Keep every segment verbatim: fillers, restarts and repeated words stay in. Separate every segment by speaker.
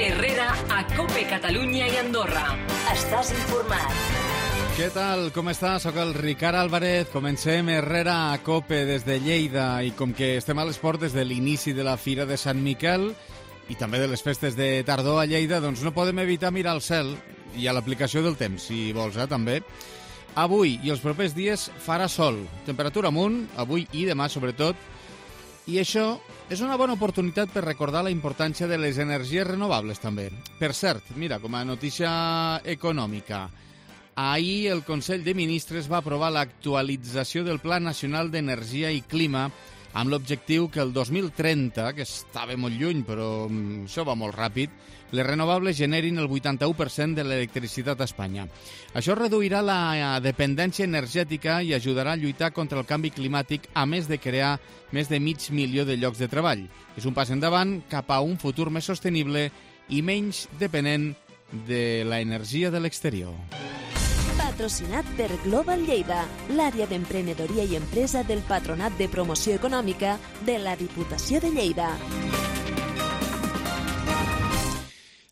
Speaker 1: Herrera a COPE Catalunya i Andorra. Estàs informat.
Speaker 2: Què tal? Com estàs? Soc el Ricard Álvarez. Comencem Herrera a COPE des de Lleida i com que estem a les portes de l'inici de la Fira de Sant Miquel i també de les festes de tardor a Lleida, doncs no podem evitar mirar al cel i a l'aplicació del temps, si vols, eh, també. Avui i els propers dies farà sol, temperatura amunt, avui i demà sobretot, i això és una bona oportunitat per recordar la importància de les energies renovables també. Per cert, mira, com a notícia econòmica, ahir el Consell de Ministres va aprovar l'actualització del Pla Nacional d'Energia i Clima amb l'objectiu que el dos mil trenta, que estava molt lluny però això va molt ràpid, les renovables generin el vuitanta-u per cent de l'electricitat a Espanya. Això reduirà la dependència energètica i ajudarà a lluitar contra el canvi climàtic, a més de crear més de mig milió de llocs de treball. És un pas endavant cap a un futur més sostenible i menys depenent de l'energia de l'exterior.
Speaker 3: Patrocinat per Global Lleida, l'àrea d'emprenedoria i empresa del Patronat de Promoció Econòmica de la Diputació de Lleida.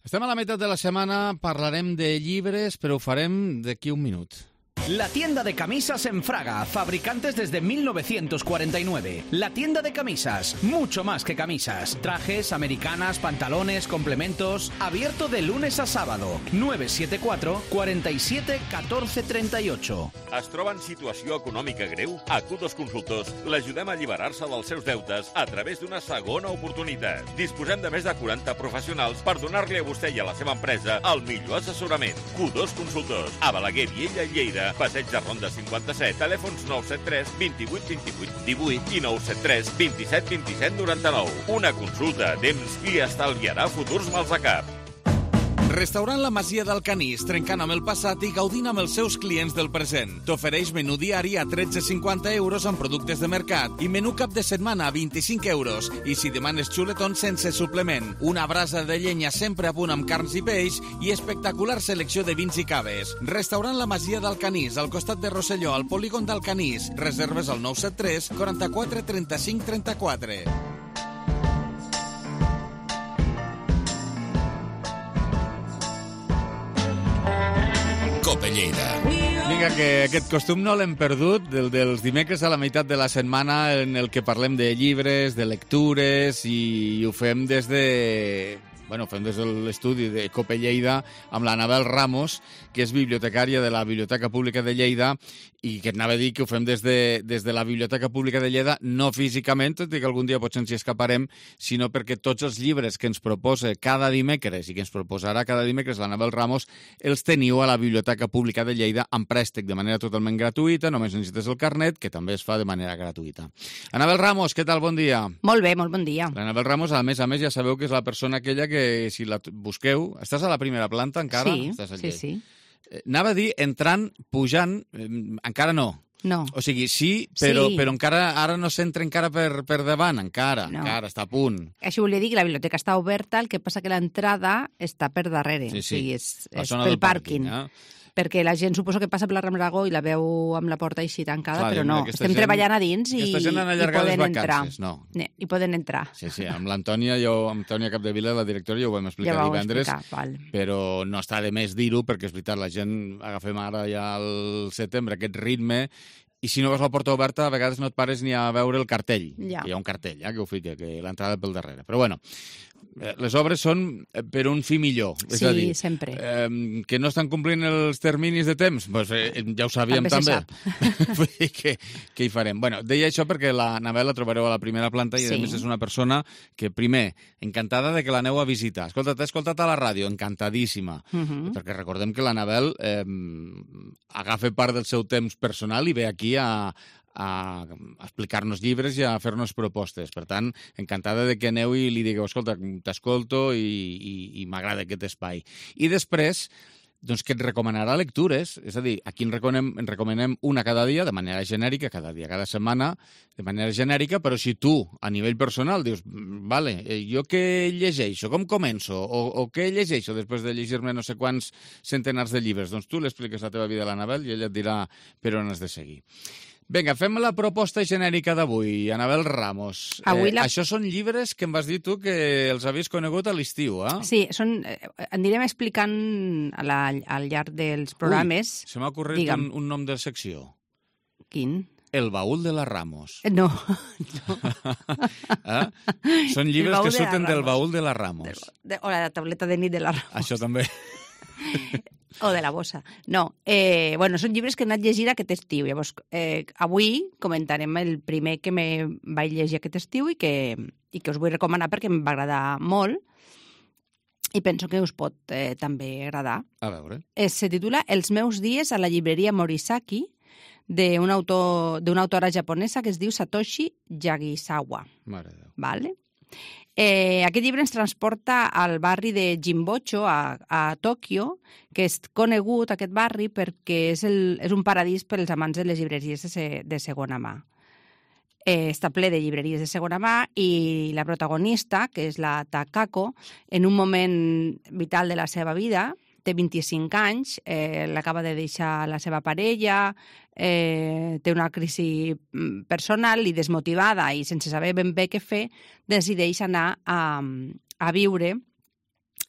Speaker 2: Estem a la meitat de la setmana, parlarem de llibres, però ho farem d'aquí un minut.
Speaker 4: La tienda de camisas en Fraga, fabricantes desde mil novecientos cuarenta y nueve. La tienda de camisas, mucho más que camisas. Trajes, americanas, pantalones, complementos. Abierto de lunes a sábado. nueve siete cuatro, cuatro siete, uno cuatro tres ocho.
Speaker 5: Es troba en situació econòmica greu? A Q dos Consultors l'ajudem a alliberar-se dels seus deutes a través d'una segona oportunitat. Disposem de més de quaranta professionals per donar-li a vostè i a la seva empresa el millor assessorament. Q dos Consultors, a Balaguer, Viella i Lleida. Passeig de Ronda cinquanta-set, telèfons nou set tres, vint-i-vuit, vint-i-vuit, divuit i nou set tres, vint-i-set, vint-i-set, noranta-nou. Una consulta a temps li estalviarà futurs mals de cap.
Speaker 2: Restaurant La Masia d'Alcanís, trencant amb el passat i gaudint amb els seus clients del present. T'ofereix menú diari a tretze cinquanta euros amb productes de mercat i menú cap de setmana a vint-i-cinc euros. I si demanes xuletons sense suplement, una brasa de llenya sempre a punt amb carns i peix i espectacular selecció de vins i caves. Restaurant La Masia d'Alcanís, al costat de Rosselló, al polígon d'Alcanís. Reserves al nou set tres, quaranta-quatre, trenta-cinc, trenta-quatre.
Speaker 6: COPE Lleida.
Speaker 2: Vinga, que aquest costum no l'hem perdut, del dels dimecres a la meitat de la setmana en el que parlem de llibres, de lectures, i ho fem des de... Bueno, fem des de l'estudi de COPE Lleida amb l'Anabel Ramos, que és bibliotecària de la Biblioteca Pública de Lleida, i que et anava a dir que ho fem des de, des de la Biblioteca Pública de Lleida, no físicament, tot i que algun dia potser ens hi escaparem, sinó perquè tots els llibres que ens proposa cada dimecres i que ens proposarà cada dimecres l'Anabel Ramos els teniu a la Biblioteca Pública de Lleida amb préstec de manera totalment gratuïta, només necessites el carnet, que també es fa de manera gratuïta. Anabel Ramos, què tal? Bon dia.
Speaker 7: Molt bé, molt bon dia.
Speaker 2: L'Anabel Ramos, a més a més, ja sabeu que és la persona aquella que, si la busqueu... Estàs a la primera planta encara?
Speaker 7: Sí,
Speaker 2: Estàs
Speaker 7: sí, sí.
Speaker 2: Anava a dir, entrant, pujant, eh, encara no.
Speaker 7: No.
Speaker 2: O sigui, sí, però,
Speaker 7: Sí.
Speaker 2: però encara ara no s'entra encara per, per davant, encara,
Speaker 7: No.
Speaker 2: encara està a punt.
Speaker 7: Això volia dir que la biblioteca està oberta, el que passa que l'entrada està per darrere.
Speaker 2: Sí, sí.
Speaker 7: O sigui, és,
Speaker 2: La
Speaker 7: és
Speaker 2: zona
Speaker 7: pel
Speaker 2: del pàrquing,
Speaker 7: pàrquing.
Speaker 2: eh?
Speaker 7: Perquè la gent suposo que passa per la Rambla Aragó i la veu amb la porta així tancada,
Speaker 2: Clar,
Speaker 7: però
Speaker 2: diu,
Speaker 7: no.
Speaker 2: mira, aquesta
Speaker 7: Estem
Speaker 2: gent-
Speaker 7: treballant a dins i,
Speaker 2: aquesta gent han
Speaker 7: i
Speaker 2: allargat les
Speaker 7: poden entrar.
Speaker 2: vacances, no.
Speaker 7: Ne, I poden entrar.
Speaker 2: Sí, sí, amb l'Antònia, jo, amb Antònia Capdevila, la directora, ja ho vam explicar
Speaker 7: Ja ho vau
Speaker 2: divendres,
Speaker 7: explicar, val.
Speaker 2: però no està de més dir-ho, perquè és veritat, la gent agafem ara ja al setembre aquest ritme, i si no veus la porta oberta, a vegades no et pares ni a veure el cartell.
Speaker 7: Ja.
Speaker 2: Hi ha un cartell, ja, que ho fica, que l'entrada pel darrere. Però bueno, les obres són per un fi millor. És
Speaker 7: Sí,
Speaker 2: a dir,
Speaker 7: sempre.
Speaker 2: Eh, que no estan complint els terminis de temps? Pues, eh, ja ho sabíem
Speaker 7: També se
Speaker 2: també. Vull dir que, què hi farem? Bueno, deia això perquè la Anabel la trobareu a la primera planta i, a
Speaker 7: Sí.
Speaker 2: més, és una persona que, primer, encantada de que l'aneu a visitar. Escolta, t'he escoltat a la ràdio, encantadíssima.
Speaker 7: Mhm.
Speaker 2: Perquè recordem que l'Anabel eh, agafa part del seu temps personal i ve aquí a, a explicar-nos llibres i a fer-nos propostes. Per tant, encantada de que aneu i li digueu, escolta, t'escolto i, i, i m'agrada aquest espai. I després, doncs que et recomanarà lectures, és a dir, aquí en recomanem, en recomanem una cada dia, de manera genèrica, cada dia, cada setmana, de manera genèrica, però si tu, a nivell personal, dius, vale, jo què llegeixo, com començo, o, o què llegeixo després de llegir-me no sé quants centenars de llibres, doncs tu l'expliques la teva vida a l'Anabel i ella et dirà per on has de seguir. Vinga, fem la proposta genèrica d'avui, Anabel Ramos.
Speaker 7: Avui la...
Speaker 2: eh, això són llibres que em vas dir tu que els havies conegut a l'estiu, eh?
Speaker 7: Sí, són, eh, anirem explicant a la, al llarg dels programes.
Speaker 2: Ui, se m'ha ocorrit un, un nom de secció.
Speaker 7: Quin?
Speaker 2: El baúl de la Ramos.
Speaker 7: No. no.
Speaker 2: eh? Són llibres que surten del baúl de la Ramos.
Speaker 7: De, de, o la tableta de nit de la Ramos.
Speaker 2: Això també.
Speaker 7: O de la bossa. No, eh, bueno, són llibres que he anat llegint aquest estiu. Llavors, eh, avui comentarem el primer que me vaig llegir aquest estiu i que, i que us vull recomanar perquè em va agradar molt i penso que us pot eh, també agradar.
Speaker 2: A veure.
Speaker 7: Eh, se titula Els meus dies a la llibreria Morisaki, d'una autor, d'una autora japonesa que es diu Satoshi Yagisawa.
Speaker 2: Mare de Déu.
Speaker 7: Vale? Eh, aquest llibre ens transporta al barri de Jinbocho, a, a Tòquio, que és conegut, aquest barri, perquè és, el, és un paradís per als amants de les llibreries de, se, de segona mà. Eh, està ple de llibreries de segona mà i la protagonista, que és la Takako, en un moment vital de la seva vida, té vint-i-cinc anys, eh, l'acaba de deixar la seva parella, eh, té una crisi personal i desmotivada i sense saber ben bé què fer, decideix anar a, a viure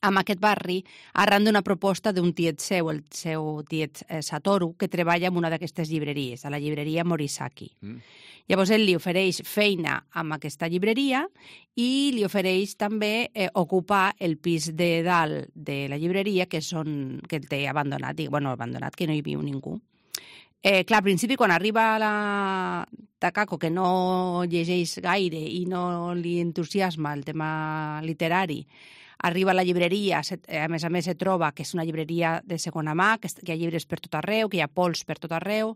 Speaker 7: en aquest barri arran d'una proposta d'un tiet seu, el seu tiet eh, Satoru, que treballa en una d'aquestes llibreries, a la llibreria Morisaki. Mm. Llavors ell li ofereix feina amb aquesta llibreria i li ofereix també eh, ocupar el pis de dalt de la llibreria que, són, que el té abandonat, i, bueno, abandonat, que no hi viu ningú. Eh, clar, al principi, quan arriba la Takako, que no llegeix gaire i no li entusiasma el tema literari, arriba a la llibreria, a més a més se troba que és una llibreria de segona mà, que hi ha llibres per tot arreu, que hi ha pols per tot arreu.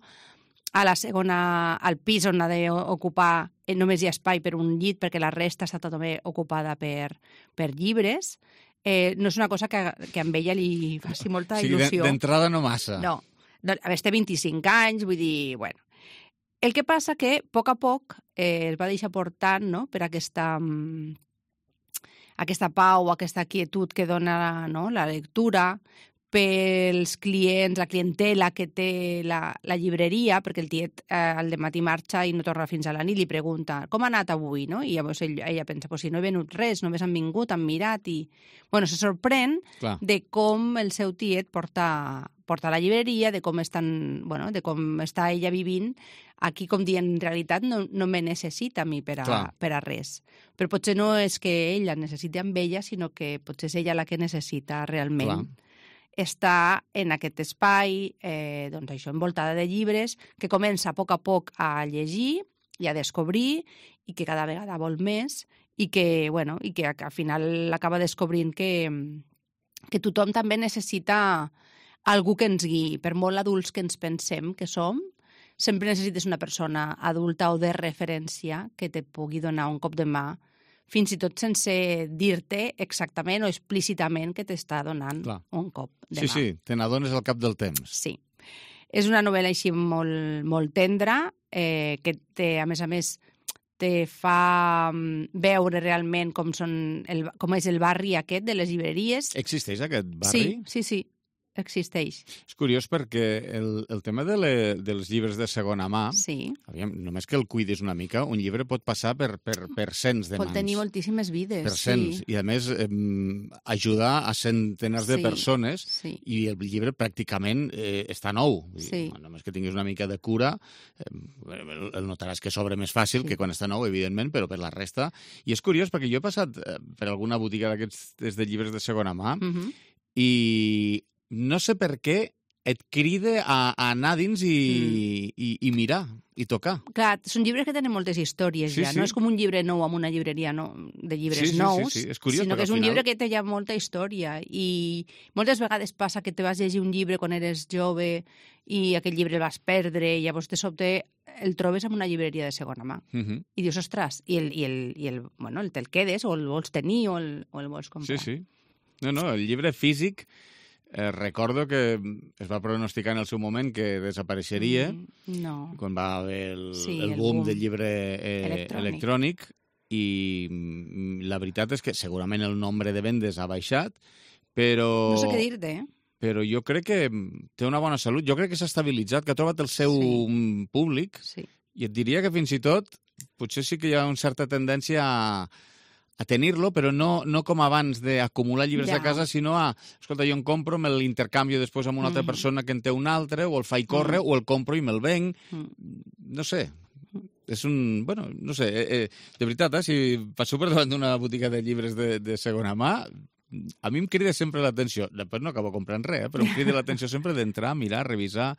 Speaker 7: A la segona, al pis on ha d'ocupar, només hi ha espai per un llit perquè la resta està també ocupada per, per llibres. Eh, no és una cosa que, que a ella li faci molta
Speaker 2: sí,
Speaker 7: il·lusió.
Speaker 2: D'entrada no massa.
Speaker 7: No. no a més, té vint-i-cinc anys, vull dir, bueno. El que passa que, a poc a poc, eh, es va deixar portant, no?, per aquesta, aquesta pau, aquesta quietud que dona, no?, la lectura, pels clients, la clientela que té la, la llibreria, perquè el tiet eh, al dematí marxa i no torna fins a la nit, li pregunta com ha anat avui, no? I llavors ell, ella pensa, pues si no he venut res, només han vingut, han mirat i... Bueno, se sorprèn Clar. de com el seu tiet porta, porta la llibreria, de com, estan, bueno, de com està ella vivint aquí, com dient, en realitat no, no me necessita a mi per a, per a res. Però potser no és que ella necessiti amb ella, sinó que potser és ella la que necessita realment. Clar. Està en aquest espai, eh, doncs això, envoltada de llibres, que comença a poc a poc a llegir i a descobrir i que cada vegada vol més i que, bueno, i que al final acaba descobrint que, que tothom també necessita algú que ens guiï. Per molt adults que ens pensem que som, sempre necessites una persona adulta o de referència que te pugui donar un cop de mà, fins i tot sense dir-te exactament o explícitament que t'està donant Clar. un cop de
Speaker 2: sí,
Speaker 7: mà.
Speaker 2: Sí, sí, te n'adones al cap del temps.
Speaker 7: Sí. És una novel·la així molt, molt tendra, eh, que té, a més a més te fa veure realment com, són el, com és el barri aquest de les llibreries.
Speaker 2: Existeix aquest barri?
Speaker 7: Sí, sí, sí. Existeix.
Speaker 2: És curiós perquè el, el tema de le, dels llibres de segona mà,
Speaker 7: sí.
Speaker 2: aviam, només que el cuidis una mica, un llibre pot passar per, per, per cents de mans.
Speaker 7: Pot tenir moltíssimes vides.
Speaker 2: Per cents. Sí. I a més, eh, ajudar a centenars sí. de persones
Speaker 7: sí.
Speaker 2: i el llibre pràcticament eh, està nou.
Speaker 7: Sí.
Speaker 2: I, només que tinguis una mica de cura, eh, el notaràs que s'obre més fàcil sí. que quan està nou, evidentment, però per la resta... I és curiós perquè jo he passat eh, per alguna botiga d'aquests de llibres de segona mà uh-huh. i... no sé per què et crida a, a anar dins i, mm. i, i mirar, i tocar.
Speaker 7: Clar, són llibres que tenen moltes històries
Speaker 2: sí,
Speaker 7: ja.
Speaker 2: Sí.
Speaker 7: No és com un llibre nou amb una llibreria no, de llibres
Speaker 2: sí, sí,
Speaker 7: nous,
Speaker 2: sí, sí. És curiós,
Speaker 7: sinó que és un
Speaker 2: final...
Speaker 7: llibre que té ja molta història. I moltes vegades passa que te vas llegir un llibre quan eres jove i aquell llibre el vas perdre i llavors de sobte el trobes en una llibreria de segona mà. Uh -huh. I dius, ostres, i, el, i, el, i el, bueno, el te'l quedes o el vols tenir o el, o el vols comprar.
Speaker 2: Sí, sí. No, no, el llibre físic... Eh, recordo que es va pronosticar en el seu moment que desapareixeria
Speaker 7: mm, no.
Speaker 2: quan va haver el,
Speaker 7: sí,
Speaker 2: el,
Speaker 7: el
Speaker 2: boom,
Speaker 7: boom
Speaker 2: del llibre eh, electrònic. electrònic i la veritat és que segurament el nombre de vendes ha baixat, però...
Speaker 7: No sé què dir-te, eh?
Speaker 2: Però jo crec que té una bona salut. Jo crec que s'ha estabilitzat, que ha trobat el seu sí. públic
Speaker 7: sí.
Speaker 2: I et diria que fins i tot potser sí que hi ha una certa tendència a, a tenir-lo, però no, no com abans d'acumular llibres
Speaker 7: Ja.
Speaker 2: de casa, sinó a, escolta, jo en compro, me l'intercanvio després amb una altra
Speaker 7: Mm.
Speaker 2: persona que en té un altre, o el faig córrer, o el compro i me'l venc.
Speaker 7: Mm.
Speaker 2: No sé, és un... Bueno, no sé, eh, eh, de veritat, eh, si passo per davant d'una botiga de llibres de, de segona mà, a mi em crida sempre l'atenció. Després no acabo comprant res, eh, però em crida l'atenció sempre d'entrar, mirar, revisar,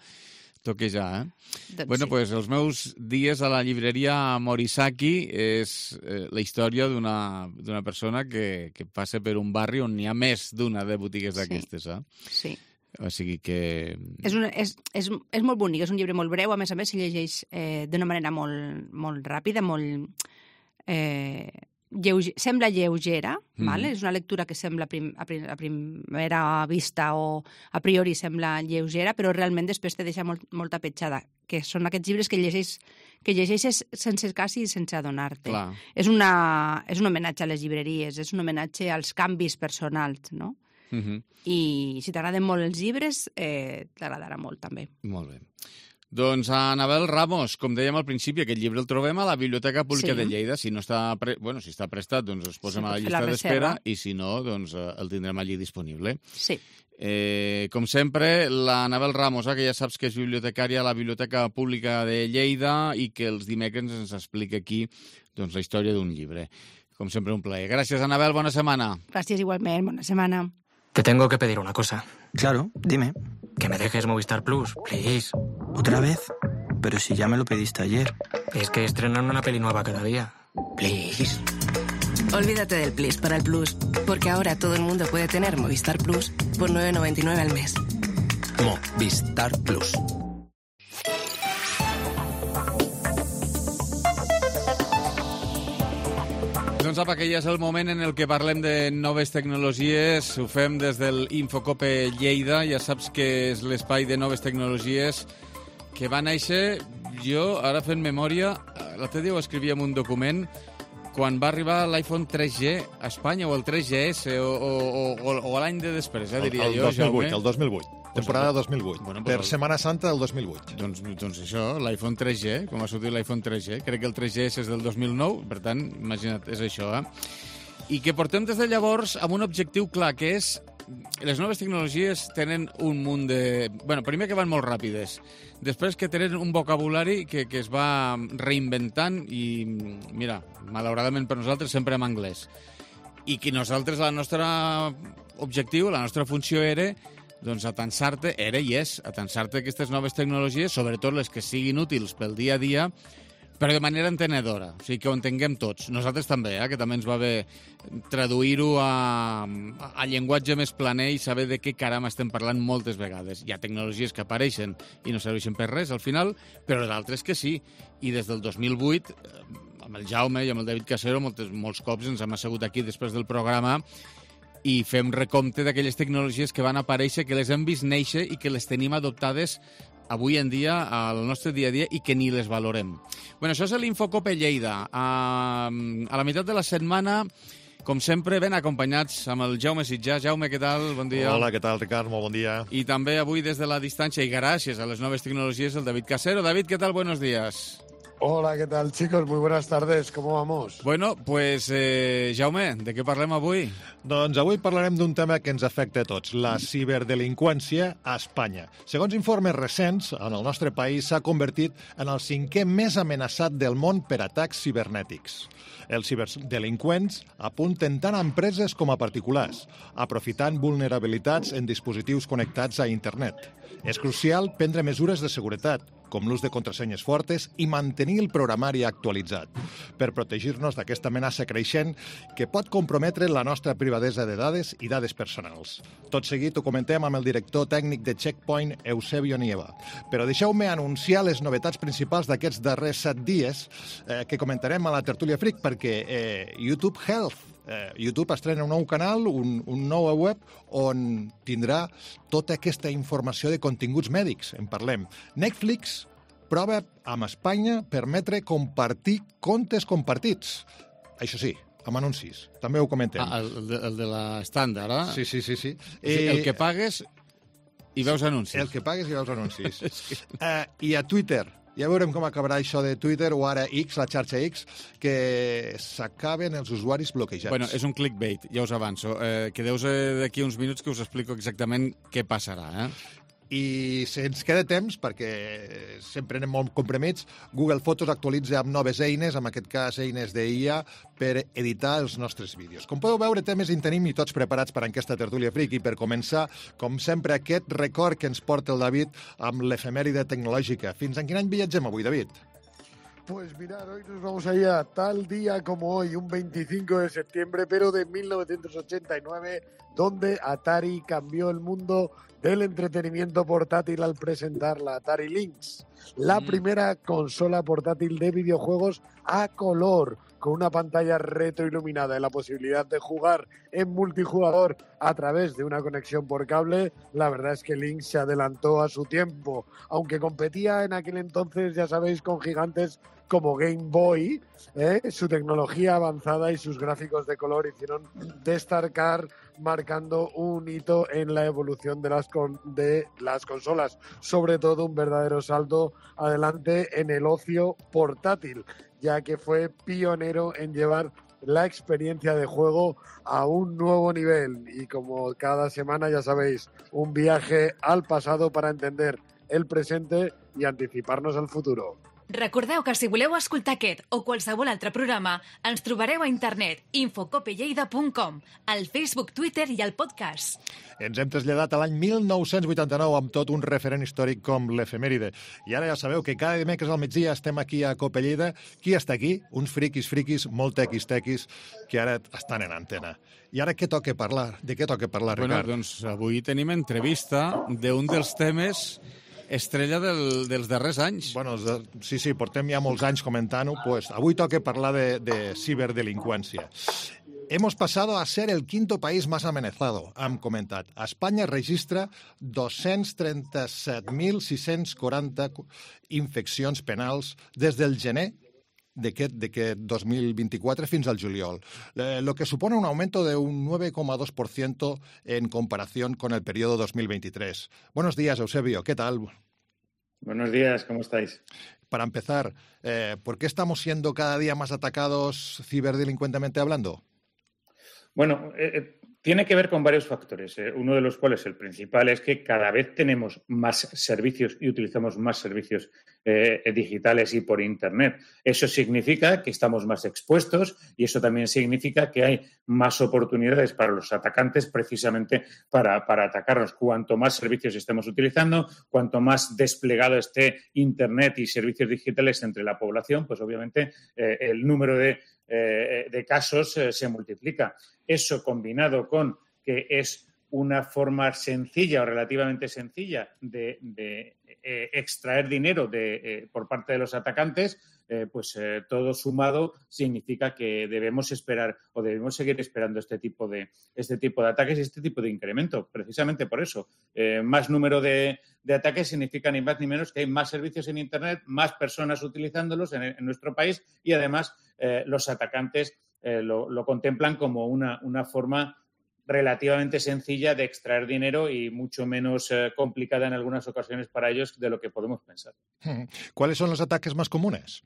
Speaker 2: toquejar, eh?
Speaker 7: Doncs
Speaker 2: Bueno,
Speaker 7: sí.
Speaker 2: pues els meus dies a la llibreria Morisaki és eh, la història d'una d'una persona que, que passa per un barri on n'hi ha més d'una de botigues
Speaker 7: Sí.
Speaker 2: d'aquestes, eh?
Speaker 7: Sí.
Speaker 2: O sigui que...
Speaker 7: És, una, és, és, és molt bonic, és un llibre molt breu, a més a més, si llegeix eh, d'una manera molt, molt ràpida, molt... Eh, lleuge, sembla lleugera,
Speaker 2: Mm.
Speaker 7: vale? És una lectura que sembla prim, a, prim, a primera vista o a priori sembla lleugera, però realment després te deixa molt, molta petjada, que són aquests llibres que llegeix, que llegeixes sense quasi sense adonar-te.
Speaker 2: Clar.
Speaker 7: És, una, és un homenatge a les llibreries, és un homenatge als canvis personals, no?
Speaker 2: Uh -huh.
Speaker 7: I si t'agraden molt els llibres, eh, t'agradarà molt també.
Speaker 2: Molt bé. Doncs a Anabel Ramos, com dèiem al principi, aquest llibre el trobem a la Biblioteca Pública
Speaker 7: Sí.
Speaker 2: de Lleida. Si no està, pre... bueno, si està prestat, doncs es posem
Speaker 7: Sí,
Speaker 2: a la
Speaker 7: pot fer
Speaker 2: llista
Speaker 7: la
Speaker 2: d'espera
Speaker 7: reserva.
Speaker 2: i si no, doncs eh, el tindrem allí disponible.
Speaker 7: Sí.
Speaker 2: Eh, com sempre, l'Anabel Ramos, eh, que ja saps que és bibliotecària a la Biblioteca Pública de Lleida i que els dimecres ens explica aquí doncs, la història d'un llibre. Com sempre, un plaer. Gràcies, Anabel, bona setmana.
Speaker 7: Gràcies igualment, bona setmana.
Speaker 8: Te tengo que pedir una cosa.
Speaker 9: Claro, dime.
Speaker 8: Que me dejes Movistar Plus, please.
Speaker 9: ¿Otra vez? Pero si ya me lo pediste ayer.
Speaker 8: Es que estrenan una peli nueva cada día. Please.
Speaker 10: Olvídate del Plus para el Plus, porque ahora todo el mundo puede tener Movistar Plus por nueve noventa y nueve al mes.
Speaker 6: Movistar Plus.
Speaker 2: Doncs apa, que ja és el moment en el que parlem de noves tecnologies. Ho fem des del Infocope Lleida. Ja saps que és l'espai de noves tecnologies que va néixer, jo, ara fent memòria, l'altre dia ho escrivia en un document, quan va arribar l'iPhone tres G a Espanya, o el tres G S, o, o, o, o l'any de després, eh, diria
Speaker 11: el, el
Speaker 2: jo,
Speaker 11: dos mil vuit,
Speaker 2: Jaume.
Speaker 11: el dos mil vuit. Temporada dos mil vuit.
Speaker 2: Bueno,
Speaker 11: per
Speaker 2: però-
Speaker 11: Setmana Santa del dos mil vuit.
Speaker 2: Doncs, doncs això, l'iPhone tres G, com va sortir l'iPhone tres G, crec que el tres G S és del dos mil nou, per tant, imagina't, és això, eh? I que portem des de llavors amb un objectiu clar, que és les noves tecnologies tenen un munt de... Bueno, primer que van molt ràpides, després que tenen un vocabulari que, que es va reinventant i, mira, malauradament per nosaltres sempre en anglès. I que nosaltres, la nostra objectiu, la nostra funció era doncs atansar-te, era i és, atansar-te aquestes noves tecnologies, sobretot les que siguin útils pel dia a dia, però de manera entenedora, o sigui que ho entenguem tots. Nosaltres també, eh, que també ens va bé traduir-ho a, a llenguatge més planer i saber de què caram estem parlant moltes vegades. Hi ha tecnologies que apareixen i no serveixen per res al final, però d'altres que sí. I des del dos mil vuit, eh, amb el Jaume i amb el David Casero, moltes, molts cops ens hem assegut aquí després del programa i fem recompte d'aquelles tecnologies que van aparèixer, que les hem vist néixer i que les tenim adoptades avui en dia al nostre dia a dia i que ni les valorem. Bueno, això és l'Infocope Lleida. A, a la meitat de la setmana, com sempre, ben acompanyats amb el Jaume Sitjà. Jaume, què tal? Bon dia.
Speaker 11: Hola, què tal, Ricard? Molt bon dia.
Speaker 2: I també avui des de la distància i gràcies a les noves tecnologies el David Casero. David, què tal? Buenos días.
Speaker 12: Hola, ¿qué tal, chicos? Muy buenas tardes. ¿Cómo vamos?
Speaker 2: Bueno, pues, eh, Jaume, de què parlem avui?
Speaker 11: Doncs avui parlarem d'un tema que ens afecta a tots, la ciberdelinqüència a Espanya. Segons informes recents, en el nostre país s'ha convertit en el cinquè més amenaçat del món per atacs cibernètics. Els ciberdelinqüents apunten tant a empreses com a particulars, aprofitant vulnerabilitats en dispositius connectats a internet. És crucial prendre mesures de seguretat, com l'ús de contrasenyes fortes i mantenir el programari actualitzat, per protegir-nos d'aquesta amenaça creixent que pot comprometre la nostra privadesa de dades i dades personals. Tot seguit ho comentem amb el director tècnic de Checkpoint, Eusebio Nieva. Però deixeu-me anunciar les novetats principals d'aquests darrers set dies eh, que comentarem a la Tertúlia Freak, perquè eh, YouTube Health Eh, YouTube estrena un nou canal, un, un nou web, on tindrà tota aquesta informació de continguts mèdics. En parlem. Netflix prova amb Espanya permetre compartir comptes compartits. Això sí, amb anuncis. També ho comentem.
Speaker 2: Ah, el, el, de, el de l'estàndard, eh?
Speaker 11: Sí, sí, sí. sí.
Speaker 2: Eh, el que pagues i veus anuncis.
Speaker 11: El que pagues i veus anuncis. uh, I a Twitter Ja veurem com acabarà això de Twitter o ara X, la xarxa X, que s'acaben els usuaris bloquejats.
Speaker 2: Bueno, és un clickbait, ja us avanço. Eh, Quedeu-vos d'aquí uns minuts que us explico exactament què passarà, eh?
Speaker 11: I si ens queda temps, perquè sempre anem molt comprimits, Google Fotos actualitza amb noves eines, en aquest cas eines d'I A, per editar els nostres vídeos. Com podeu veure, temes en tenim i tots preparats per a aquesta tertúlia friki. Per començar, com sempre, aquest record que ens porta el David amb l'efemèride tecnològica. Fins en quin any viatgem avui, David?
Speaker 12: Pues mirar, hoy nos vamos a ir a tal día como hoy, un veinticinco de septiembre, pero de mil novecientos ochenta y nueve, donde Atari cambió el mundo del entretenimiento portátil al presentar la Atari Lynx, la mm. primera consola portátil de videojuegos a color, con una pantalla retroiluminada y la posibilidad de jugar en multijugador a través de una conexión por cable. La verdad es que Lynx se adelantó a su tiempo, aunque competía en aquel entonces, ya sabéis, con gigantes como Game Boy, ¿eh? Su tecnología avanzada y sus gráficos de color hicieron destacar, marcando un hito en la evolución de las, con, de las consolas, sobre todo un verdadero salto adelante en el ocio portátil, ya que fue pionero en llevar la experiencia de juego a un nuevo nivel. Y como cada semana, ya sabéis, un viaje al pasado para entender el presente i anticiparnos al futuro.
Speaker 13: Recordeu que si voleu escoltar aquest o qualsevol altre programa, ens trobareu a internet infocopelleida punt com, al Facebook, Twitter i al podcast.
Speaker 11: Ens hem traslladat a l'any mil nou-cents vuitanta-nou amb tot un referent històric com l'efemèride. I ara ja sabeu que cada dimecres al migdia estem aquí a Cope Lleida. Qui està aquí? Uns friquis, friquis, molt tequis, tequis, que ara estan en antena. I ara què toca parlar? De què toca parlar, Ricard?
Speaker 2: Bueno, doncs avui tenim entrevista d'un dels temes estrella del, dels darrers anys.
Speaker 11: Bueno, sí, sí, portem ja molts anys comentant-ho. Pues, avui toca parlar de, de ciberdelinqüència. Hemos pasado a ser el quinto país más amenazado, hem comentat. Espanya registra dos-cents trenta-set mil sis-cents quaranta infeccions penals des del gener d'aquest dos mil vint-i-quatre fins al juliol, eh, lo que supone un aumento de un nueve coma dos por ciento en comparación con el periodo dos mil veintitrés. Buenos días, Eusebio, ¿qué tal?
Speaker 14: Buenos días, ¿cómo estáis?
Speaker 11: Para empezar, eh, ¿por qué estamos siendo cada día más atacados ciberdelincuentemente hablando?
Speaker 14: Bueno, eh, tiene que ver con varios factores, eh, uno de los cuales, el principal, es que cada vez tenemos más servicios y utilizamos más servicios eh, digitales y por Internet. Eso significa que estamos más expuestos y eso también significa que hay más oportunidades para los atacantes precisamente para, para atacarnos. Cuanto más servicios estemos utilizando, cuanto más desplegado esté Internet y servicios digitales entre la población, pues obviamente eh, el número de Eh, de casos eh, se multiplica. Eso combinado con que es una forma sencilla o relativamente sencilla de, de eh, extraer dinero de, eh, por parte de los atacantes, eh, pues eh, todo sumado significa que debemos esperar o debemos seguir esperando este tipo de, este tipo de ataques y este tipo de incremento. Precisamente por eso, eh, más número de, de ataques significa ni más ni menos que hay más servicios en Internet, más personas utilizándolos en, en nuestro país y además eh, los atacantes eh, lo, lo contemplan como una, una forma relativamente sencilla de extraer dinero y mucho menos eh, complicada en algunas ocasiones para ellos de lo que podemos pensar.
Speaker 11: ¿Cuáles son los ataques más comunes?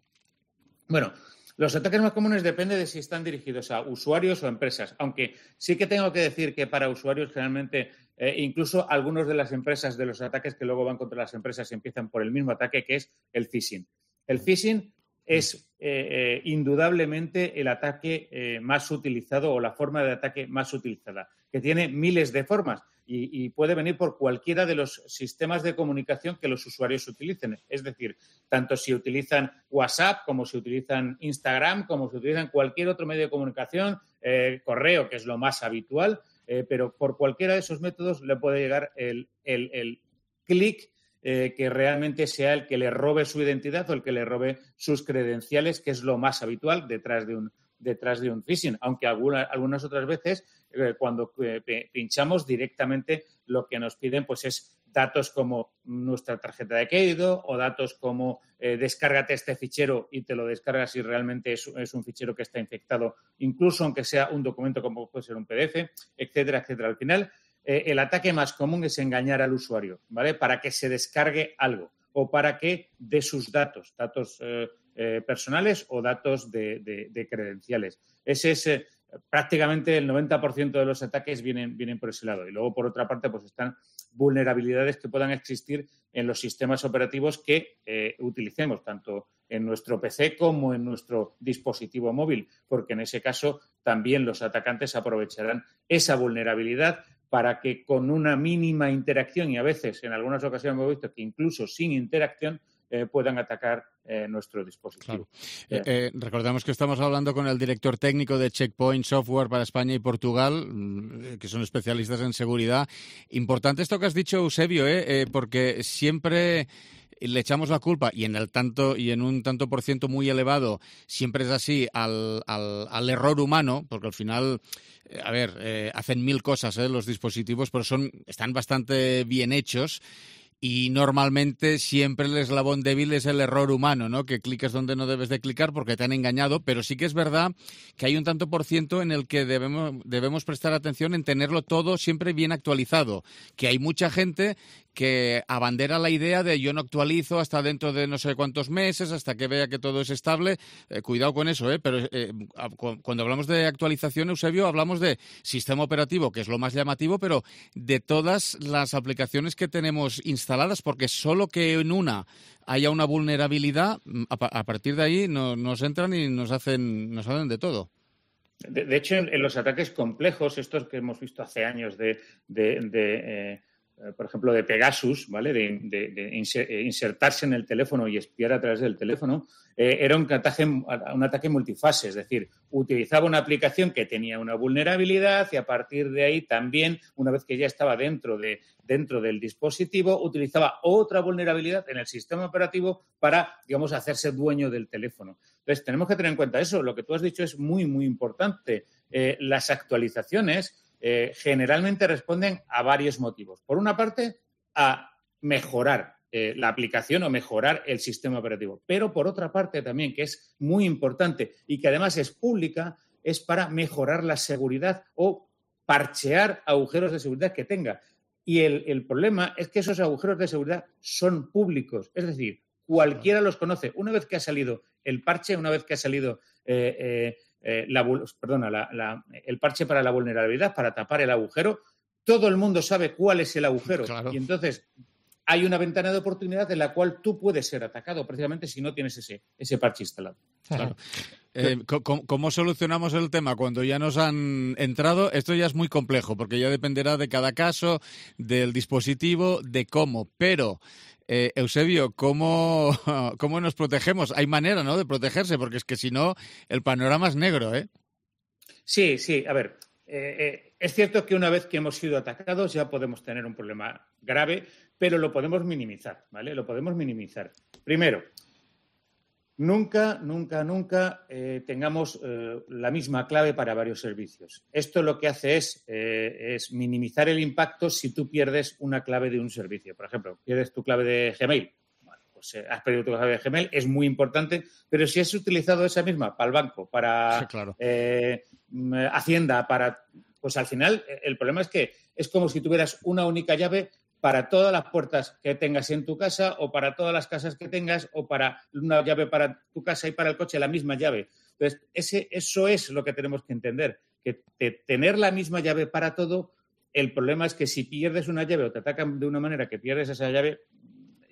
Speaker 14: Bueno, los ataques más comunes depende de si están dirigidos a usuarios o a empresas, aunque sí que tengo que decir que para usuarios generalmente, eh, incluso algunos de las empresas, de los ataques que luego van contra las empresas empiezan por el mismo ataque, que es el phishing. El phishing es eh, eh, indudablemente el ataque eh, más utilizado o la forma de ataque más utilizada, que tiene miles de formas y, y puede venir por cualquiera de los sistemas de comunicación que los usuarios utilicen. Es decir, tanto si utilizan WhatsApp, como si utilizan Instagram, como si utilizan cualquier otro medio de comunicación, eh, correo, que es lo más habitual, eh, pero por cualquiera de esos métodos le puede llegar el, el, el clic Eh, que realmente sea el que le robe su identidad o el que le robe sus credenciales, que es lo más habitual detrás de un, detrás de un phishing. Aunque alguna, algunas otras veces, eh, cuando eh, pinchamos directamente, lo que nos piden pues es datos como nuestra tarjeta de crédito o datos como eh, descárgate este fichero y te lo descargas si realmente es, es un fichero que está infectado, incluso aunque sea un documento como puede ser un P D F, etcétera, etcétera. Al final, Eh, el ataque más común es engañar al usuario, ¿vale? Para que se descargue algo. o para que dé sus datos, datos eh, eh, personales o datos de, de, de credenciales. Ese es eh, prácticamente el noventa por ciento de los ataques vienen, vienen por ese lado. Y luego, por otra parte, pues están vulnerabilidades que puedan existir en los sistemas operativos que eh, utilicemos, tanto en nuestro P C como en nuestro dispositivo móvil, porque en ese caso también los atacantes aprovecharán esa vulnerabilidad para que con una mínima interacción, y a veces en algunas ocasiones hemos visto que incluso sin interacción, eh, puedan atacar eh, nuestro dispositivo.
Speaker 2: Claro. Eh, eh, recordamos que estamos hablando con el director técnico de Checkpoint Software para España y Portugal, que son especialistas en seguridad. Importante esto que has dicho, Eusebio, eh, eh, porque siempre le echamos la culpa, y en el tanto y en un tanto por ciento muy elevado siempre es así, al, al, al error humano, porque al final, eh, a ver, eh, hacen mil cosas eh, los dispositivos, pero son están bastante bien hechos. Y normalmente siempre el eslabón débil es el error humano, ¿no? Que cliques donde no debes de clicar porque te han engañado, pero sí que es verdad que hay un tanto por ciento en el que debemos, debemos prestar atención en tenerlo todo siempre bien actualizado, que hay mucha gente que abandera la idea de yo no actualizo hasta dentro de no sé cuántos meses, hasta que vea que todo es estable. Eh, cuidado con eso, ¿eh? Pero eh, cuando hablamos de actualización, Eusebio, hablamos de sistema operativo, que es lo más llamativo, pero de todas las aplicaciones que tenemos instaladas, porque solo que en una haya una vulnerabilidad, a, a partir de ahí no, nos entran y nos hacen, nos hacen de todo.
Speaker 14: De, de hecho, en, en los ataques complejos, estos que hemos visto hace años de... de, de eh... por ejemplo, de Pegasus, ¿vale? De, de, de insertarse en el teléfono y espiar a través del teléfono, eh, era un ataque, un ataque multifase, es decir, utilizaba una aplicación que tenía una vulnerabilidad y a partir de ahí también, una vez que ya estaba dentro, de, dentro del dispositivo, utilizaba otra vulnerabilidad en el sistema operativo para, digamos, hacerse dueño del teléfono. Entonces, tenemos que tener en cuenta eso. Lo que tú has dicho es muy, muy importante. Eh, las actualizaciones Eh, generalmente responden a varios motivos. Por una parte, a mejorar eh, la aplicación o mejorar el sistema operativo. Pero por otra parte también, que es muy importante y que además es pública, es para mejorar la seguridad o parchear agujeros de seguridad que tenga. Y el, el problema es que esos agujeros de seguridad son públicos. Es decir, cualquiera los conoce. Una vez que ha salido el parche, una vez que ha salido... Eh, eh, Eh, la, perdona, la, la, el parche para la vulnerabilidad, para tapar el agujero, todo el mundo sabe cuál es el agujero. Claro. Y entonces hay una ventana de oportunidad en la cual tú puedes ser atacado precisamente si no tienes ese, ese parche instalado.
Speaker 2: Claro. Eh, ¿cómo, ¿Cómo solucionamos el tema cuando ya nos han entrado? Esto ya es muy complejo porque ya dependerá de cada caso, del dispositivo, de cómo, pero... Eh, Eusebio, ¿cómo, ¿cómo nos protegemos? Hay manera, ¿no?, de protegerse, porque es que si no, el panorama es negro, ¿eh?
Speaker 14: Sí, sí. A ver, eh, eh, es cierto que una vez que hemos sido atacados ya podemos tener un problema grave, pero lo podemos minimizar, ¿vale? Lo podemos minimizar. Primero, nunca, nunca, nunca eh, tengamos eh, la misma clave para varios servicios. Esto lo que hace es, eh, es minimizar el impacto si tú pierdes una clave de un servicio. Por ejemplo, pierdes tu clave de Gmail. Bueno, pues eh, has perdido tu clave de Gmail, es muy importante, pero si has utilizado esa misma para el banco, para
Speaker 2: sí, claro.
Speaker 14: eh, Hacienda, para... Pues al final el problema es que es como si tuvieras una única llave para todas las puertas que tengas en tu casa o para todas las casas que tengas o para una llave para tu casa y para el coche, la misma llave. Entonces, ese, eso es lo que tenemos que entender, que de tener la misma llave para todo, el problema es que si pierdes una llave o te atacan de una manera que pierdes esa llave,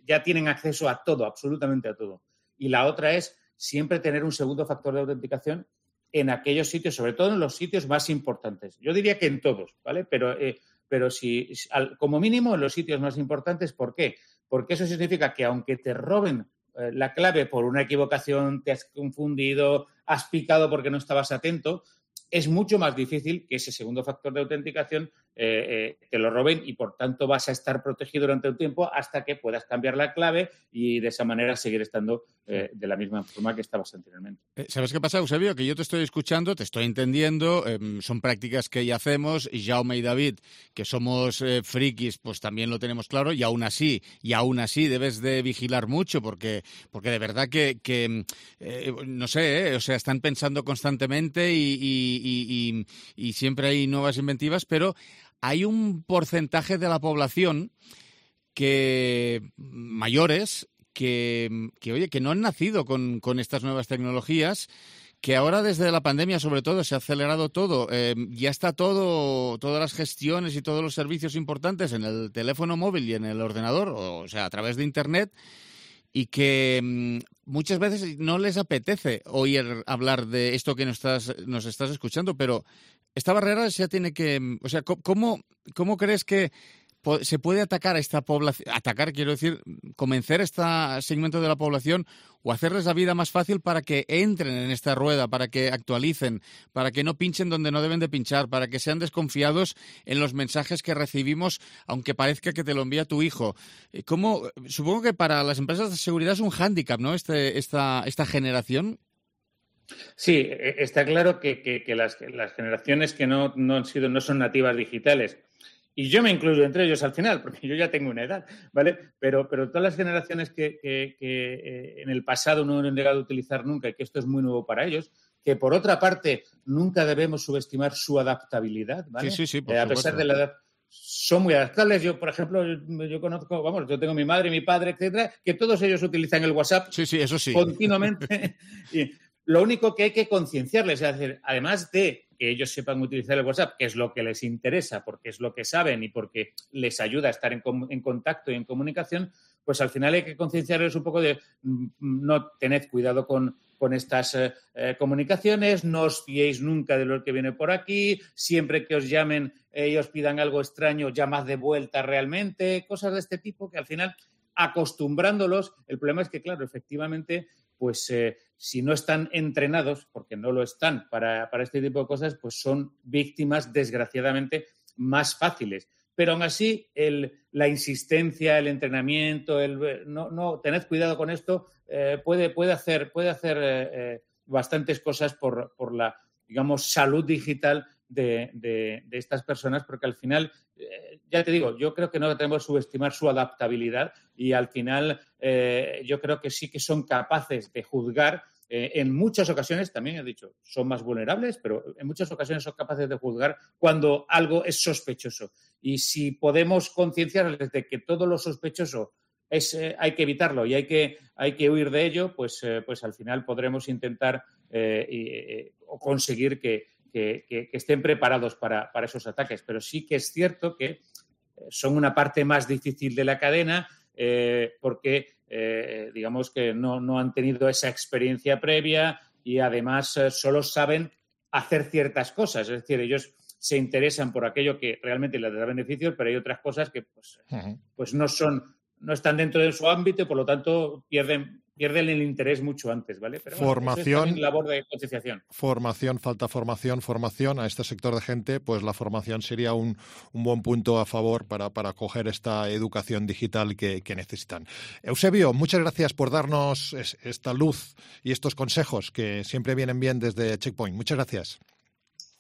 Speaker 14: ya tienen acceso a todo, absolutamente a todo. Y la otra es siempre tener un segundo factor de autenticación en aquellos sitios, sobre todo en los sitios más importantes. Yo diría que en todos, ¿vale? Pero... Eh, Pero si, como mínimo, en los sitios más importantes, ¿por qué? Porque eso significa que aunque te roben eh, la clave por una equivocación, te has confundido, has picado porque no estabas atento, es mucho más difícil que ese segundo factor de autenticación eh, eh, te lo roben y, por tanto, vas a estar protegido durante un tiempo hasta que puedas cambiar la clave y de esa manera seguir estando eh, de la misma forma que estabas anteriormente.
Speaker 2: ¿Sabes qué pasa, Eusebio? Que yo te estoy escuchando, te estoy entendiendo, eh, son prácticas que ya hacemos y Jaume y David, que somos eh, frikis, pues también lo tenemos claro y aún así, y aún así debes de vigilar mucho porque, porque de verdad que, que eh, no sé, eh, o sea, están pensando constantemente y, y, y, y, y siempre hay nuevas inventivas, pero hay un porcentaje de la población que mayores que, que oye, que no han nacido con, con estas nuevas tecnologías, que ahora desde la pandemia sobre todo se ha acelerado todo, eh, ya está todo, todas las gestiones y todos los servicios importantes en el teléfono móvil y en el ordenador, o sea, a través de Internet, y que mmm, muchas veces no les apetece oír hablar de esto que nos estás, nos estás escuchando, pero esta barrera ya tiene que... O sea, ¿cómo, cómo crees que se puede atacar a esta población? Atacar, quiero decir, convencer a este segmento de la población o hacerles la vida más fácil para que entren en esta rueda, para que actualicen, para que no pinchen donde no deben de pinchar, para que sean desconfiados en los mensajes que recibimos, aunque parezca que te lo envía tu hijo. ¿Cómo? Supongo que para las empresas de seguridad es un hándicap, ¿no?, este, esta, esta generación.
Speaker 14: Sí, está claro que, que, que las, las generaciones que no, no han sido, no son nativas digitales, y yo me incluyo entre ellos al final, porque yo ya tengo una edad, ¿vale? Pero, pero todas las generaciones que, que, que eh, en el pasado no han llegado a utilizar nunca, y que esto es muy nuevo para ellos, que por otra parte nunca debemos subestimar su adaptabilidad, ¿vale?
Speaker 2: Sí, sí, sí, por
Speaker 14: eh, a
Speaker 2: supuesto.
Speaker 14: pesar de la edad, son muy adaptables. Yo, por ejemplo, yo, yo conozco, vamos, yo tengo mi madre, mi padre, etcétera, que todos ellos utilizan el WhatsApp.
Speaker 2: Sí, sí, eso sí.
Speaker 14: Continuamente. Y lo único que hay que concienciarles, es decir, además de que ellos sepan utilizar el WhatsApp, que es lo que les interesa, porque es lo que saben y porque les ayuda a estar en, en contacto y en comunicación, pues al final hay que concienciarles un poco de no tened cuidado con, con estas eh, eh, comunicaciones, no os fiéis nunca de lo que viene por aquí, siempre que os llamen eh, y os pidan algo extraño, llamad de vuelta realmente, cosas de este tipo que al final, acostumbrándolos, el problema es que, claro, efectivamente, pues eh, si no están entrenados, porque no lo están para, para este tipo de cosas, pues son víctimas, desgraciadamente, más fáciles. Pero aún así, el, la insistencia, el entrenamiento, el no, no tened cuidado con esto, eh, puede, puede hacer, puede hacer eh, eh, bastantes cosas por, por la, digamos, salud digital de, de, de estas personas, porque al final, eh, ya te digo, yo creo que no tenemos que subestimar su adaptabilidad y al final eh, yo creo que sí que son capaces de juzgar. Eh, en muchas ocasiones, también he dicho, son más vulnerables, pero en muchas ocasiones son capaces de juzgar cuando algo es sospechoso. Y si podemos concienciarles de que todo lo sospechoso es, eh, hay que evitarlo y hay que, hay que huir de ello, pues, eh, pues al final podremos intentar eh, eh, o conseguir que, que, que, que estén preparados para, para esos ataques. Pero sí que es cierto que son una parte más difícil de la cadena, eh, porque Eh, digamos que no, no han tenido esa experiencia previa y además eh, solo saben hacer ciertas cosas. Es decir, ellos se interesan por aquello que realmente les da beneficios, pero hay otras cosas que pues, uh-huh. pues no son, no están dentro de su ámbito y por lo tanto pierden, pierden el interés mucho antes, ¿vale? Pero
Speaker 11: formación,
Speaker 14: bueno, eso es labor de concienciación.
Speaker 11: Formación, falta formación, formación a este sector de gente, pues la formación sería un, un buen punto a favor para, para coger esta educación digital que, que necesitan. Eusebio, muchas gracias por darnos es, esta luz y estos consejos que siempre vienen bien desde Checkpoint. Muchas gracias.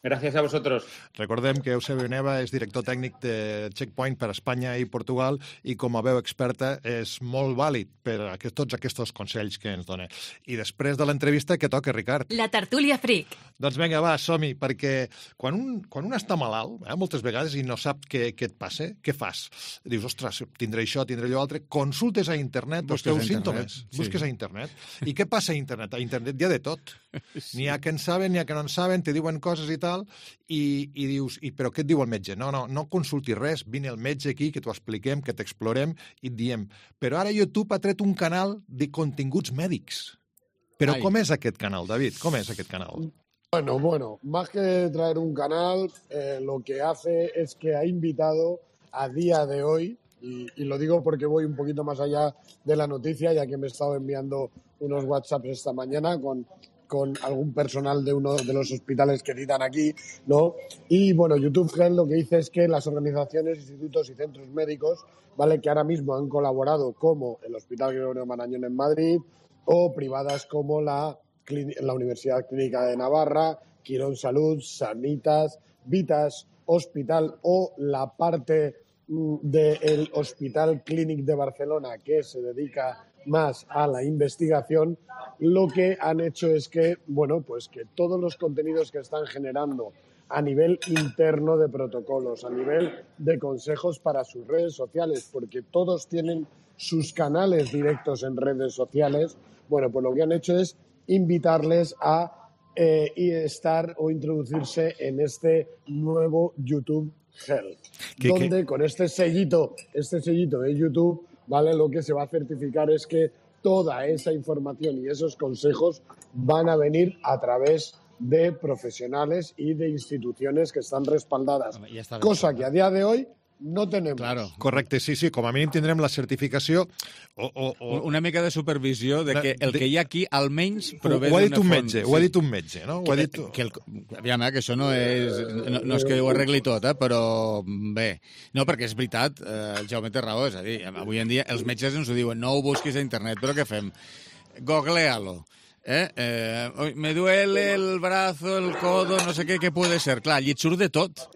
Speaker 14: Gràcies a vosaltres.
Speaker 11: Recordem que Eusebio Neva és director tècnic de Checkpoint per Espanya i Portugal i com a veu experta és molt vàlid per a tots aquests consells que ens dona. I després de l'entrevista, què toca, Ricard?
Speaker 13: La tertúlia fric.
Speaker 11: Doncs vinga, va, som-hi, perquè quan un, quan un està malalt, eh, moltes vegades, i no sap què, què et passa, què fas? Dius, ostres, tindré això, tindré allò altre. Consultes a internet els teus símptomes. Sí. Busques a internet. I què passa a internet? A internet hi ha de tot. Sí. N'hi ha que en saben, n'hi ha que no en saben, te diuen coses i tal, i, i dius, i, però què et diu el metge? No, no, no consultis res, vine el metge aquí, que t'ho expliquem, que t'explorem i et diem. Però ara YouTube ha tret un canal de continguts mèdics. Però Ai. Com és aquest canal, David? Com és aquest canal?
Speaker 12: Bueno, bueno, más que traer un canal, eh, lo que hace es que ha invitado a día de hoy, y, y lo digo porque voy un poquito más allá de la noticia, ya que me he estado enviando unos WhatsApps esta mañana con... con algún personal de uno de los hospitales que citan aquí, ¿no? Y, bueno, YouTube Health lo que dice es que las organizaciones, institutos y centros médicos, ¿vale?, que ahora mismo han colaborado, como el Hospital Gregorio Marañón en Madrid, o privadas como la, la Universidad Clínica de Navarra, Quirón Salud, Sanitas, Vitas Hospital o la parte del Hospital Clínic de Barcelona, que se dedica más a la investigación, lo que han hecho es que, bueno, pues que todos los contenidos que están generando a nivel interno de protocolos, a nivel de consejos para sus redes sociales, porque todos tienen sus canales directos en redes sociales. Bueno, pues lo que han hecho es invitarles a eh, estar o introducirse en este nuevo YouTube Health, ¿Qué, donde qué? con este sellito, este sellito de YouTube, ¿vale? Lo que se va a certificar es que toda esa información y esos consejos van a venir a través de profesionales y de instituciones que estan respaldades, ja cosa que a dia de hoy no tenem.
Speaker 11: Claro. Correcte, sí, sí, com a mínim tindrem la certificació o, o, o...
Speaker 2: una mica de supervisió de que el que hi ha aquí almenys prové
Speaker 11: d'una font. Ho ha dit un
Speaker 2: font.
Speaker 11: metge, sí. ho ha dit un metge, no? Ho
Speaker 2: que,
Speaker 11: ha dit...
Speaker 2: que el, aviam, eh, que això no és, no, no és que ho arregli tot, eh, però bé. No, perquè és veritat, eh, el Jaume té raó, és a dir, avui en dia els metges ens ho diuen, no ho busquis a internet, però què fem? Googlealo. Eh? Eh, me duele el brazo, el codo, no sé què, què puede ser. Clar, allí et surt de tot.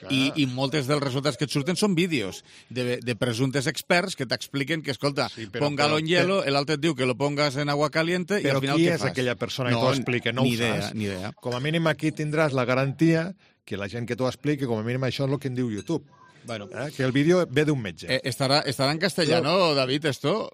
Speaker 2: I, i moltes dels resultats que et surten són vídeos de, de presumptes experts que t'expliquen que, escolta, sí, póngalo en hielo, l'altre et diu que lo pongas en agua caliente i al final què fas?
Speaker 11: Però qui és aquella persona que no, t'ho explica? No
Speaker 2: ni
Speaker 11: ho
Speaker 2: idea,
Speaker 11: saps.
Speaker 2: Ni idea.
Speaker 11: Com a mínim aquí tindràs la garantia que la gent que t'ho expliqui, com a mínim això és el que en diu YouTube.
Speaker 2: Bueno.
Speaker 11: Eh? Que el vídeo ve d'un metge.
Speaker 2: Eh, estarà, estarà en castellano, no. David, esto?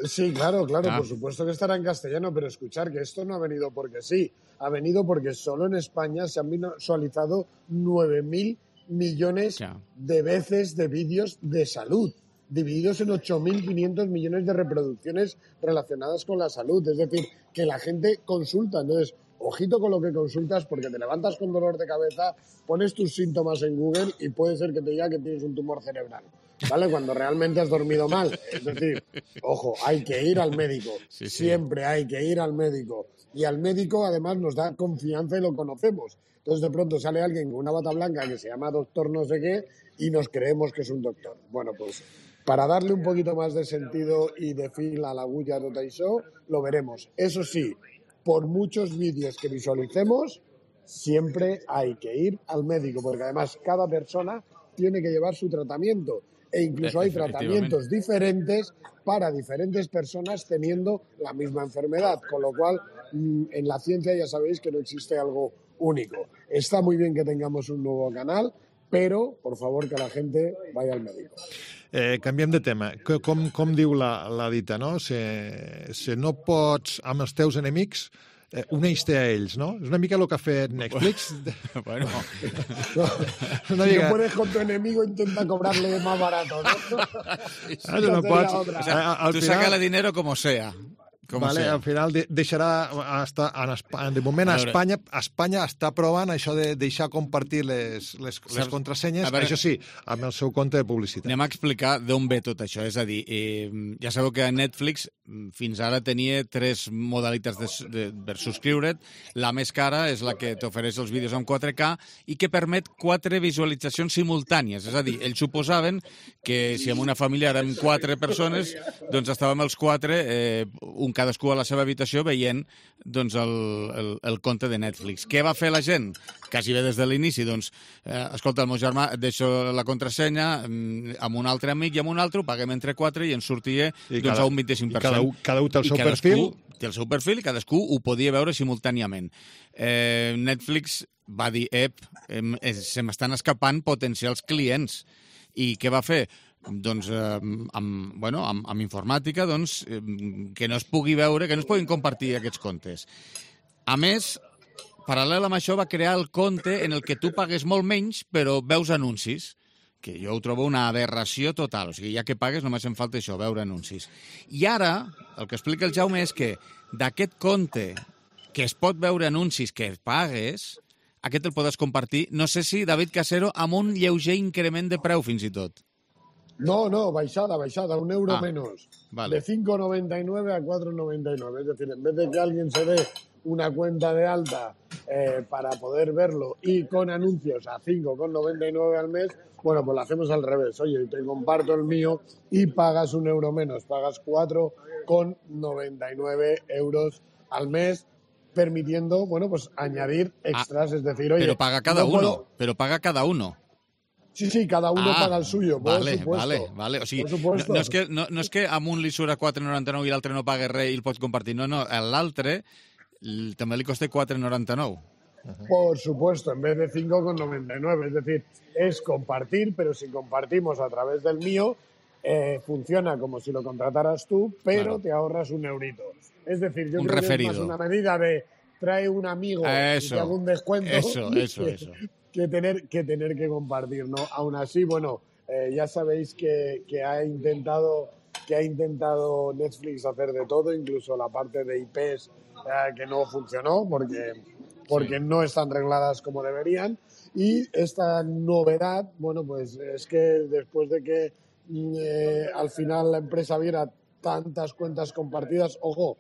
Speaker 12: Sí, claro, claro, ah. por supuesto que estará en castellano, pero escuchar que esto no ha venido porque sí, ha venido porque solo en España se han visualizado nueve mil millones ya. de veces de vídeos de salud, divididos en ocho mil quinientos millones de reproducciones relacionadas con la salud. Es decir, que la gente consulta. Entonces, ojito con lo que consultas, porque te levantas con dolor de cabeza, pones tus síntomas en Google y puede ser que te diga que tienes un tumor cerebral, ¿vale? Cuando realmente has dormido mal. Es decir, ojo, hay que ir al médico. Sí, sí. Siempre hay que ir al médico. Y al médico, además, nos da confianza y lo conocemos. Entonces, de pronto sale alguien con una bata blanca que se llama doctor no sé qué y nos creemos que es un doctor. Bueno, pues para darle un poquito más de sentido y de fil a la agulla de tot això, lo veremos. Eso sí, por muchos vídeos que visualicemos, siempre hay que ir al médico, porque además cada persona tiene que llevar su tratamiento e incluso hay tratamientos diferentes para diferentes personas teniendo la misma enfermedad, con lo cual en la ciencia ya sabéis que no existe algo único. Está muy bien que tengamos un nuevo canal, pero, por favor, que la gente vaya al médico.
Speaker 11: Eh, canviem de tema. Com, com diu la, la dita, no? Si, si no pots amb els teus enemics, eh, uneix-te a ells, no? És una mica el que ha fet Netflix.
Speaker 2: Bueno.
Speaker 12: No, si mica... no puedes con tu enemigo, intenta cobrarle más barato, ¿no?
Speaker 11: Sí, sí. Ah, no pots...
Speaker 2: O sea, al tu final... sácale dinero como sea. Com
Speaker 11: vale, al final de, deixarà hasta, en Espanya, de moment a Espanya, Espanya està provant això de deixar compartir les, les, les contrasenyes, veure, això sí, amb el seu compte de publicitat.
Speaker 2: Anem a explicar d'on ve tot això, és a dir, eh, ja sabeu que Netflix fins ara tenia tres modalitats de, de, per subscriure't. La més cara és la que t'ofereix els vídeos en quatre K i que permet quatre visualitzacions simultànies, és a dir, ells suposaven que si en una família érem quatre persones, doncs estàvem els quatre, eh, un cadascú a la seva habitació veient doncs, el, el, el compte de Netflix. Què va fer la gent? Quasi bé des de l'inici, doncs, eh, escolta, el meu germà, et deixo la contrasenya amb un altre amic i amb un altre, ho paguem entre quatre i ens sortia doncs, cada, a un vint-i-cinc per cent.
Speaker 11: I cada, cada un té el seu perfil.
Speaker 2: Té el seu perfil i cadascú ho podia veure simultàniament. Eh, Netflix va dir, ep, eh, se m'estan escapant potencials clients. I què va fer? Doncs eh, amb, bueno, amb, amb informàtica doncs, eh, que no es pugui veure, que no es puguin compartir aquests comptes. A més, paral·lel amb això va crear el compte en el que tu pagues molt menys però veus anuncis, que jo ho trobo una aberració total. O sigui, ja que pagues només em falta això, veure anuncis. I ara, el que explica el Jaume és que d'aquest compte que es pot veure anuncis que pagues, aquest el podes compartir, no sé si, David Casero, amb un lleuger increment de preu fins i tot.
Speaker 12: No, no, baixada, baixada, un euro ah, menos. Vale. De cinco noventa y nueve a cuatro noventa y nueve. Es decir, en vez de que alguien se dé una cuenta de alta eh, para poder verlo y con anuncios a cinco noventa y nueve al mes, bueno, pues lo hacemos al revés. Oye, te comparto el mío y pagas un euro menos. Pagas cuatro noventa y nueve euros al mes, permitiendo, bueno, pues añadir extras. Ah, es decir, oye...
Speaker 2: Pero paga cada no uno, puedo... pero paga cada uno.
Speaker 12: Sí, sí, cada uno ah, paga el suyo, por
Speaker 2: vale,
Speaker 12: supuesto.
Speaker 2: Vale, vale. O sigui, no, no, és que, no, no és que amb un li surt a quatre noranta-nou i l'altre no paga res i el pots compartir. No, no, l'altre també li costa quatre noranta-nou.
Speaker 12: por supuesto, en vez de cinco con noventa y nueve. Es decir, es compartir, pero si compartimos a través del mío, eh, funciona como si lo contrataras tú, pero claro, te ahorras un eurito. Es decir, yo
Speaker 2: un
Speaker 12: creo
Speaker 2: referido.
Speaker 12: que es más una medida de trae un amigo
Speaker 2: eso,
Speaker 12: y te hago un descuento
Speaker 2: eso, eso,
Speaker 12: que,
Speaker 2: eso.
Speaker 12: que, tener, que tener que compartir, ¿no? Aún así, bueno, eh, ya sabéis que, que ha intentado... que ha intentado Netflix hacer de todo, incluso la parte de I Pes eh, que no funcionó porque, porque sí. no están regladas como deberían. Y esta novedad, bueno, pues es que después de que eh, al final la empresa viera tantas cuentas compartidas, ojo,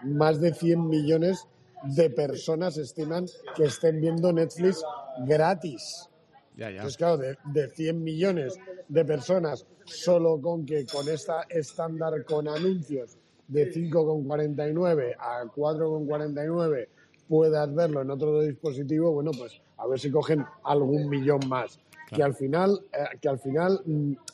Speaker 12: más de cien millones de personas estiman que estén viendo Netflix gratis.
Speaker 2: Ya, ya.
Speaker 12: Pues claro, de, de cien millones de personas, solo con que con esta estándar con anuncios de cinco con cuarenta y nueve a cuatro con cuarenta y nueve puedas verlo en otro dispositivo, bueno, pues a ver si cogen algún millón más. Claro. Que al final, eh, que al final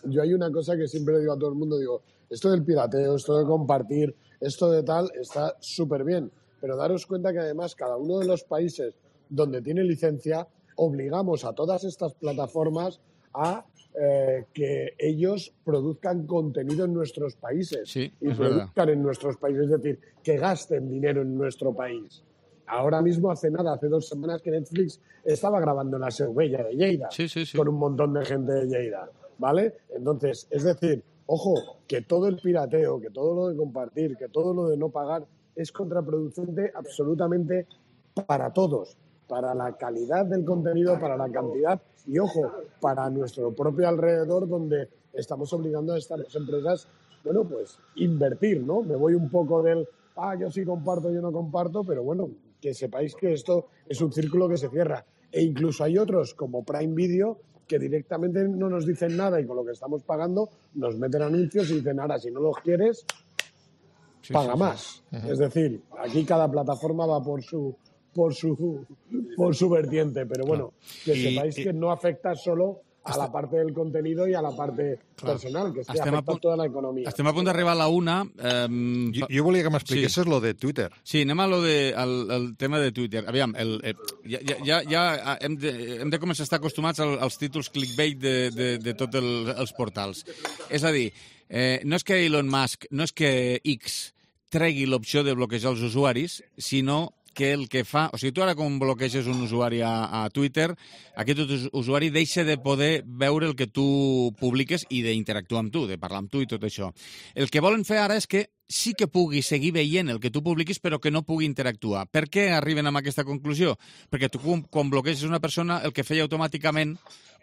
Speaker 12: yo hay una cosa que siempre le digo a todo el mundo, digo, esto del pirateo, esto de compartir, esto de tal, está súper bien, pero daros cuenta que además cada uno de los países donde tiene licencia obligamos a todas estas plataformas a eh, que ellos produzcan contenido en nuestros países
Speaker 2: sí,
Speaker 12: y produzcan verdad. en nuestros países, es decir, que gasten dinero en nuestro país. Ahora mismo, hace nada, hace dos semanas que Netflix estaba grabando en la Seu Bella de Lleida
Speaker 2: sí, sí, sí.
Speaker 12: con un montón de gente de Lleida, ¿vale? Entonces, es decir, ojo, que todo el pirateo, que todo lo de compartir, que todo lo de no pagar es contraproducente absolutamente para todos. Para la calidad del contenido, para la cantidad y, ojo, para nuestro propio alrededor, donde estamos obligando a estas empresas, bueno, pues invertir, ¿no? Me voy un poco del, ah, yo sí comparto, yo no comparto, pero bueno, que sepáis que esto es un círculo que se cierra. E incluso hay otros, como Prime Video, que directamente no nos dicen nada y con lo que estamos pagando nos meten anuncios y dicen, ahora, si no los quieres, sí, paga sí, más. Sí. Uh-huh. Es decir, aquí cada plataforma va por su... por su por su vertiente, pero bueno, que y, sepáis y, que no afecta solo a hasta, la parte del contenido i a la parte clar, personal, que es que afecta a tota la economia.
Speaker 2: Estem a punt d'arribar a la una. Eh,
Speaker 11: jo, jo volia que m'expliquessis sí. lo de Twitter.
Speaker 2: Sí, anem a lo de, el, el tema de Twitter. Aviam, el, el, ja, ja, ja hem, de, hem de començar a estar acostumats als, als títols clickbait de, de, de tots el, els portals. És a dir, eh, no és que Elon Musk, no és que X tregui l'opció de bloquejar els usuaris, sinó que el que fa... O sigui, tu ara com bloqueges un usuari a, a Twitter, aquest usuari deixa de poder veure el que tu publiques i d'interactuar amb tu, de parlar amb tu i tot això. El que volen fer ara és que sí que pugui seguir veient el que tu publiquis, però que no pugui interactuar. Per què arriben a aquesta conclusió? Perquè tu, quan bloqueges una persona, el que feia automàticament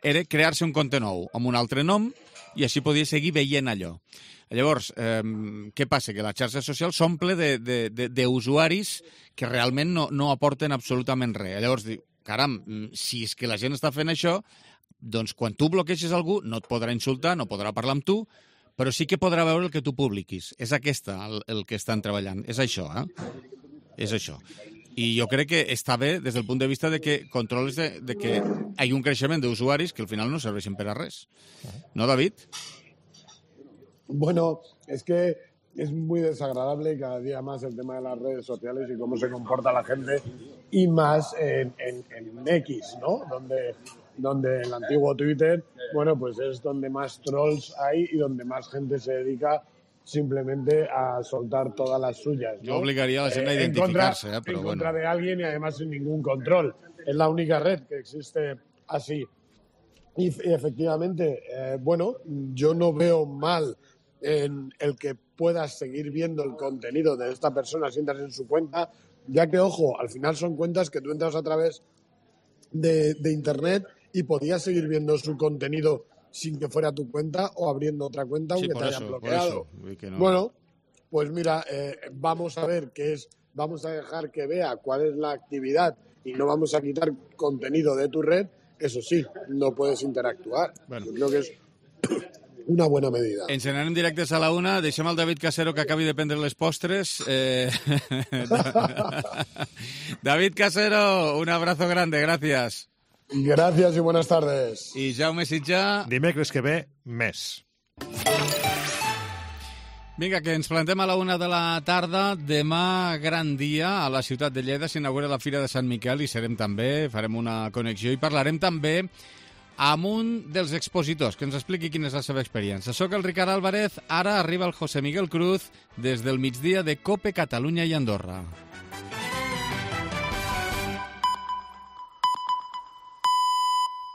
Speaker 2: era crear-se un compte nou, amb un altre nom, i així podia seguir veient allò. Llavors, eh, què passa? Que la xarxa social s'omple d'usuaris que realment no, no aporten absolutament res. Llavors, diu, caram, si és que la gent està fent això, doncs quan tu bloqueixes algú no et podrà insultar, no podrà parlar amb tu, però sí que podrà veure el que tu publiquis. És aquesta el, el que estan treballant. És això, eh? És això. I jo crec que està bé des del punt de vista de que controles de, de que hi ha un creixement d'usuaris que al final no serveixen per a res. No, David?
Speaker 12: Bueno, es que es muy desagradable cada día más el tema de las redes sociales y cómo se comporta la gente, y más en, en, en X, ¿no? Donde, donde el antiguo Twitter, bueno, pues es donde más trolls hay y donde más gente se dedica simplemente a soltar todas las suyas, ¿no?
Speaker 2: Yo obligaría a la gente eh, a identificarse,
Speaker 12: en contra,
Speaker 2: ¿eh? Pero
Speaker 12: en
Speaker 2: bueno.
Speaker 12: contra de alguien y además sin ningún control. Es la única red que existe así. Y, y efectivamente, eh, bueno, yo no veo mal en el que puedas seguir viendo el contenido de esta persona si entras en su cuenta, ya que, ojo, al final son cuentas que tú entras a través de, de Internet y podías seguir viendo su contenido sin que fuera tu cuenta o abriendo otra cuenta aunque sí, te hayan eso, bloqueado.
Speaker 2: Que no.
Speaker 12: Bueno, pues mira, eh, vamos a ver qué es, vamos a dejar que vea cuál es la actividad y no vamos a quitar contenido de tu red. Eso sí, no puedes interactuar. Bueno. Yo creo que es una buena medida.
Speaker 2: Ens n'anem directes a la una. Deixem al David Casero que acabi de prendre les postres. Eh... David Casero, un abrazo grande, gracias.
Speaker 12: Gracias y buenas tardes.
Speaker 2: I Jaume Sitjà...
Speaker 11: Dimecres que ve, més.
Speaker 2: Vinga, que ens plantem a la una de la tarda. Demà, gran dia, a la ciutat de Lleida s'inaugura la Fira de Sant Miquel i serem també, farem una connexió i parlarem també amb un dels expositors que ens expliqui quina és la seva experiència. Soc el Ricard Álvarez, ara arriba el José Miguel Cruz des del migdia de COPE Catalunya i Andorra.